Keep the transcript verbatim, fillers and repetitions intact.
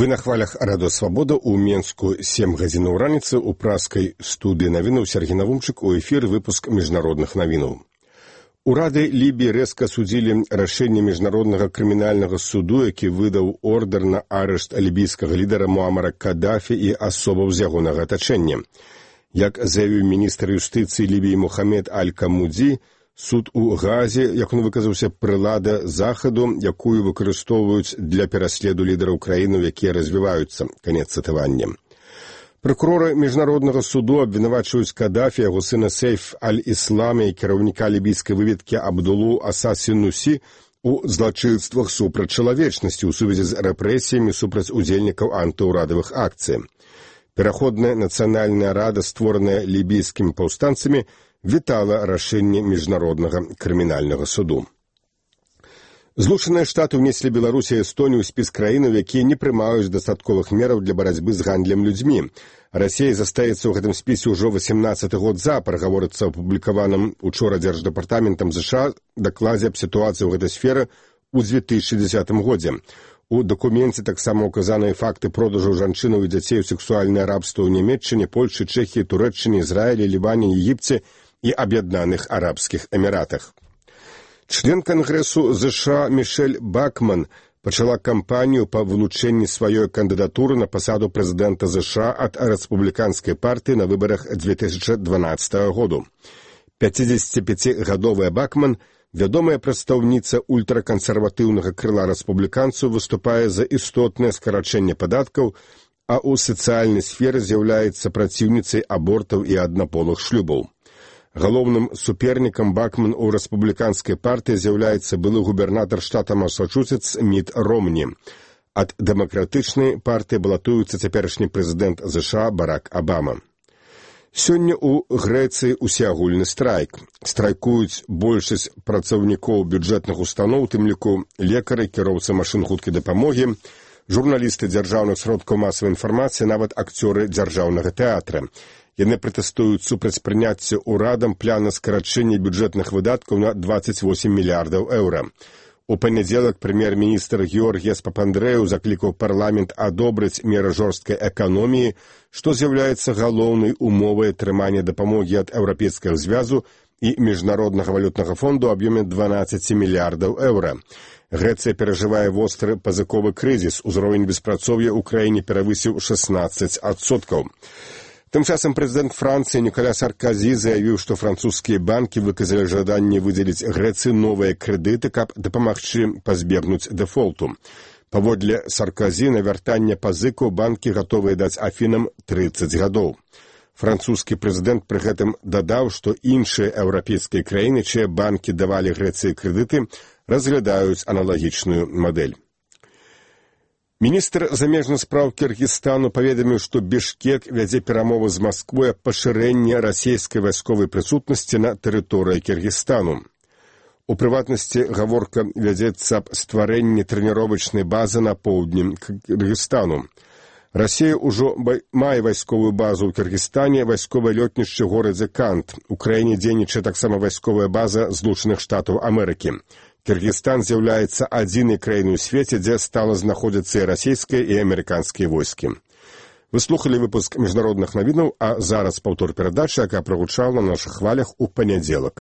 Вы на хвалях Радио Свобода у Менску сем гадзінаў раніцы у праскай студыі навінаў Сергей Навумчык у эфір выпуск міжнародных навінаў. Урады Лібіі рэзка судзілі рашэнне міжнароднага крымінальнага суду, які выдаў ордер на арышт лібійскага лідара Муамара Кадафі і асобаў з ягонага атачэння. Як заявіў міністр юстыцыі Лібіі Мухаммед Аль-Камудзі, суд у Газе, як он выказаўся, прылада захаду, якую выкарыстоўваюць для пераследу лідараў краінаў, якія развіваюцца. Канец цытавання. Прокуроры міжнароднага суду абвінавачваюць Кадафі, яго сына Сейф аль-Іслама і кіраўніка лібійскай выведкі Абдулу Аса-Сінусі у злачынствах супраць чалавечнасці ў сувязі з рэпрэсіямі супраць удзельнікаў антыўрадавых акцый. Пераходная нацыянальная рада, створаная лібійскімі паўстанцамі, вітала рашэнне міжнароднага крымінальнага суду. Злучаныя Штаты ўнеслі Беларусі і Эстонію ў спіс краінаў, якія не прымаюць дастатковых мераў для барацьбы з гандлем людзьмі. Расія застаецца ў гэтым спісе ўжо васемнаццаты год запар, гаворыцца ў апублікаваным учора дзярждэпартаментам ЗША дакладзе аб сітуацыі ў гэтай сферы ў дзве тысячы дзесятым годзе. У дакуменце таксама указаныя факты продажу жанчынаў і дзяцей у сексуальнае рабства ў Нямецчыне, Польшы, Чэхіі, Турэччыне, Ізраілі, Лібане, Егіпце і Аб'яднаных Арабскіх Эміратах. Член Кангрэсу ЗША Мішель Бакман пачала кампанію па вылучэнні сваёй кандыдатуры на пасаду прэзідэнта ЗША ад рэспубліканскай партыі на выбарах дзве тысячы дванаццатага году. пяцідзесяціпяцігадовая Бакман, вядомая прадстаўніца ультракансерватыўнага крыла рэспубліканцаў, выступае за істотнае скарачэнне падаткаў, а ў сацыяльнай сферы з'яўляецца праціўніцай абортаў і аднаполых шлюбаў. Галоўным супернікам Бакман у рэспубліканскай партыі з'яўляецца былы губернатар штата Масачусетс Міт Ромні. Ад дэмакратычнай партыі балатуецца цяперашні прэзідэнт ЗША Барак Абама. Сёння ў Грэцыі усеагульны страйк. Страйкуюць большасць працаўнікоў бюджэтных устаноў, у тым ліку лекары, кіроўцы машын хуткай дапамогі, журналісты дзяржаўных сродкаў масавай інфармацыі, нават акцёры дзяржаўнага тэатра. Яны пратэстуюць супраць прыняцця ўрадам плана скарачэння бюджэтных выдаткаў на дваццаць восем мільярдаў еўра. У панядзелак прэм'ер-міністр Георгіяс Папандрэў заклікаў парламент адобрыць меры жорсткай эканоміі, што з'яўляецца галоўнай умовай атрымання дапамогі ад Еўрапейскага звязу і Міжнароднага валютнага фонду ў аб'ёме дванаццаць мільярдаў еўра. Грэцыя перажывае востры пазыковы крызіс, узровень беспрацоўя ў краіне перавысіў шаснаццаць адсоткаў. Тым часам прэзідэнт Францыі Ніколя Сарказі заявіў, што французскія банкі выказалі жаданне выдзеліць Грэцыі новыя крэдыты, каб дапамагчы пазбегнуць дэфолту. Паводле Сарказі на вяртанне пазыкаў банкі гатовыя даць Афінам трыццаць гадоў. Французскі прэзідэнт пры гэтым дадаў, што іншыя еўрапейскія краіны, чыя банкі давалі Грэцыі крэдыты, разглядаюць аналагічную мадэль. Міністр замежных спраў Кіргізстану паведаміў, што Бішкек вядзе перамовы з Масквой аб пашырэнні расійскай вайсковай прысутнасці на тэрыторыі Кіргізстану. У прыватнасці гаворка вядзецца аб стварэнні трэніровачнай базы на поўдні Кіргізстану. Расія ўжо мае вайсковую базу ў Кіргізстане, вайсковае лётнішча ў горадзе Кант. У краіне дзейнічае таксама вайсковая база Злучаных Штатаў Амерыкі. Кіргізстан з'яўляецца адзінай краінай у свеце, дзе стала знаходзіцца і расійскія, і амерыканскія войскі. Вы слухалі выпуск міжнародных навінаў, а зараз паўтор перадачы, якая прагучала на нашых хвалях у панядзелак.